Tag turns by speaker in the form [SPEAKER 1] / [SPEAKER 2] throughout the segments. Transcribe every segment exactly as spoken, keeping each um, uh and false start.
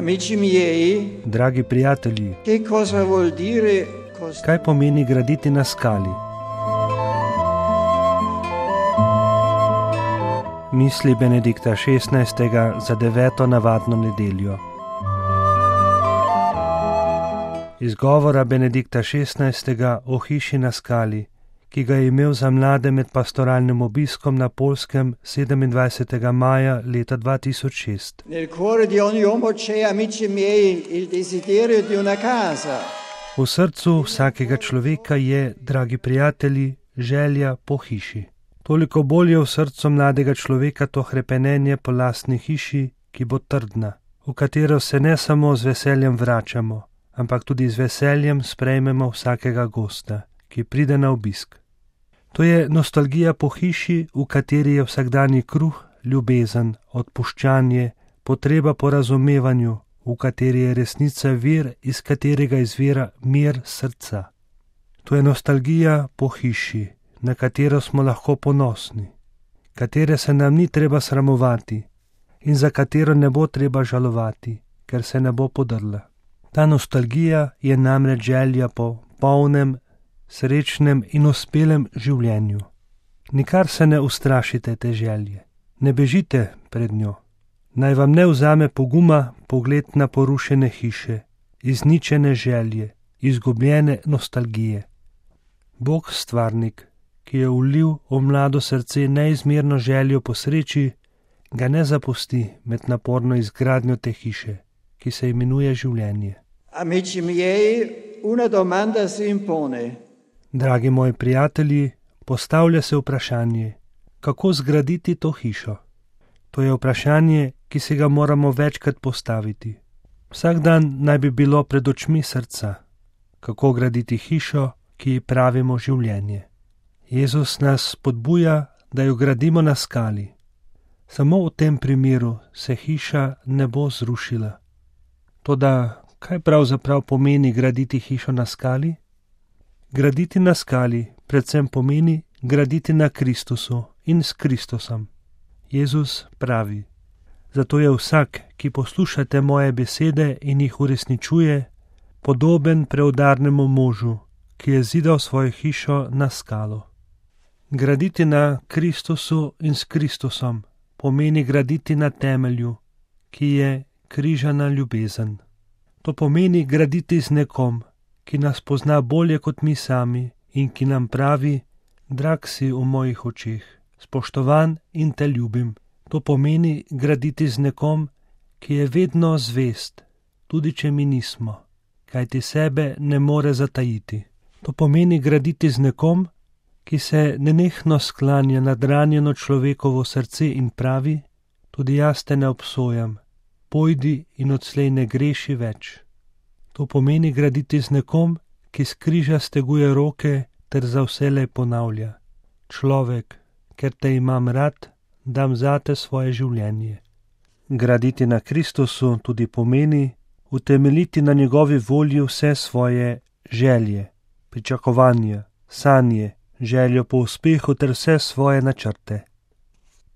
[SPEAKER 1] Amici miei,
[SPEAKER 2] dragi prijatelji,
[SPEAKER 1] che cosa vuol dire costruire?
[SPEAKER 2] kaj pomeni graditi na skali? Misli Benedikta šestnajstega za deveto navadno nedeljo. Izgovora Benedikta šestnajstega o hiši na skali, ki ga je imel za mlade med pastoralnim obiskom na Poljskem sedemindvajsetega maja leta dva tisoč šest.
[SPEAKER 1] Nel cuore di ogni uomo c'è, amici miei, il desiderio di una casa.
[SPEAKER 2] V srcu vsakega človeka je, dragi prijatelji, želja po hiši. Toliko bolj je v srcu mladega človeka to hrepenenje po lastni hiši, ki bo trdna, v katero se ne samo z veseljem vračamo, ampak tudi z veseljem sprejmemo vsakega gosta, ki pride na obisk. To je nostalgija po hiši, v kateri je vsakdanji kruh, ljubezen, odpuščanje, potreba po razumevanju, v kateri je resnica vir, iz katerega izvira mir srca. To je nostalgija po hiši, na katero smo lahko ponosni, katere se nam ni treba sramovati in za katero ne bo treba žalovati, ker se ne bo podrla. Ta nostalgija je namreč želja po polnem, srečnem in uspelem življenju. Nikar se ne ustrašite te želje, ne bežite pred njo. Naj vam ne vzame poguma pogled na porušene hiše, izničene želje, izgubljene nostalgije. Bog stvarnik, ki je vlil v mlado srce neizmerno željo po sreči, ga ne zapusti med naporno izgradnjo te hiše, ki se imenuje življenje.
[SPEAKER 1] Amici miei, una domanda si impone.
[SPEAKER 2] Dragi moji prijatelji, postavlja se vprašanje, kako zgraditi to hišo. To je vprašanje, ki si ga moramo večkrat postaviti. Vsak dan naj bi bilo pred očmi srca, kako graditi hišo, ki ji pravimo življenje. Jezus nas spodbuja, da jo gradimo na skali. Samo v tem primeru se hiša ne bo zrušila. Toda kaj pravzaprav pomeni graditi hišo na skali? Graditi na skali predvsem pomeni graditi na Kristusu in s Kristusom. Jezus pravi: zato je vsak, ki poslušate moje besede in jih uresničuje, podoben preudarnemu možu, ki je zidal svojo hišo na skalo. Graditi na Kristusu in s Kristusom pomeni graditi na temelju, ki je križana ljubezen. To pomeni graditi z nekom, ki nas pozna bolje kot mi sami in ki nam pravi: drag si v mojih očeh, spoštovan in te ljubim. To pomeni graditi z nekom, ki je vedno zvest, tudi če mi nismo, kajti sebe ne more zatajiti. To pomeni graditi z nekom, ki se nenehno sklanja nad ranjeno človekovo srce in pravi: tudi jaz te ne obsojam, pojdi in odslej ne greši več. To pomeni graditi z nekom, ki s križa steguje roke ter za vselej ponavlja: človek, ker te imam rad, dam zate svoje življenje. Graditi na Kristusu tudi pomeni utemeljiti na njegovi volji vse svoje želje, pričakovanja, sanje, željo po uspehu ter vse svoje načrte.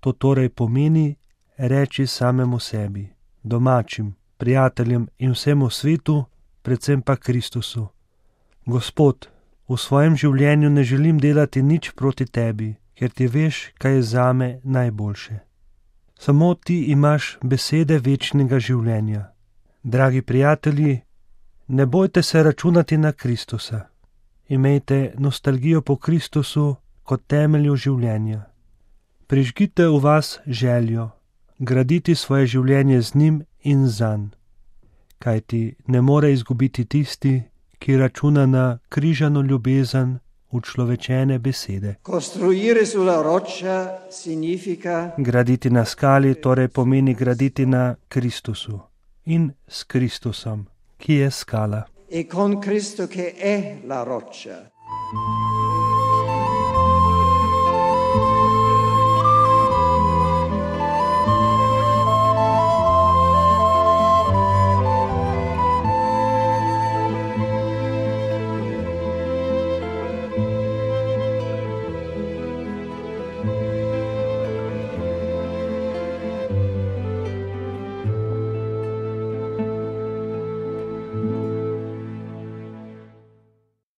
[SPEAKER 2] To torej pomeni reči samemu sebi, domačim, prijateljem in vsemu svetu, predvsem pa Kristusu: Gospod, v svojem življenju ne želim delati nič proti tebi, ker ti veš, kaj je zame najboljše. Samo ti imaš besede večnega življenja. Dragi prijatelji, ne bojte se računati na Kristusa. Imejte nostalgijo po Kristusu kot temelju življenja. Prižgite v vas željo, graditi svoje življenje z njim in zanj. Kajti ne more izgubiti tisti, ki računa na križano ljubezen, učlovečene besede.
[SPEAKER 1] Costruire sulla roccia significa
[SPEAKER 2] Graditi na skali torej pomeni graditi na Kristusu in s Kristusom, ki je skala.
[SPEAKER 1] e con Cristo che è la roccia.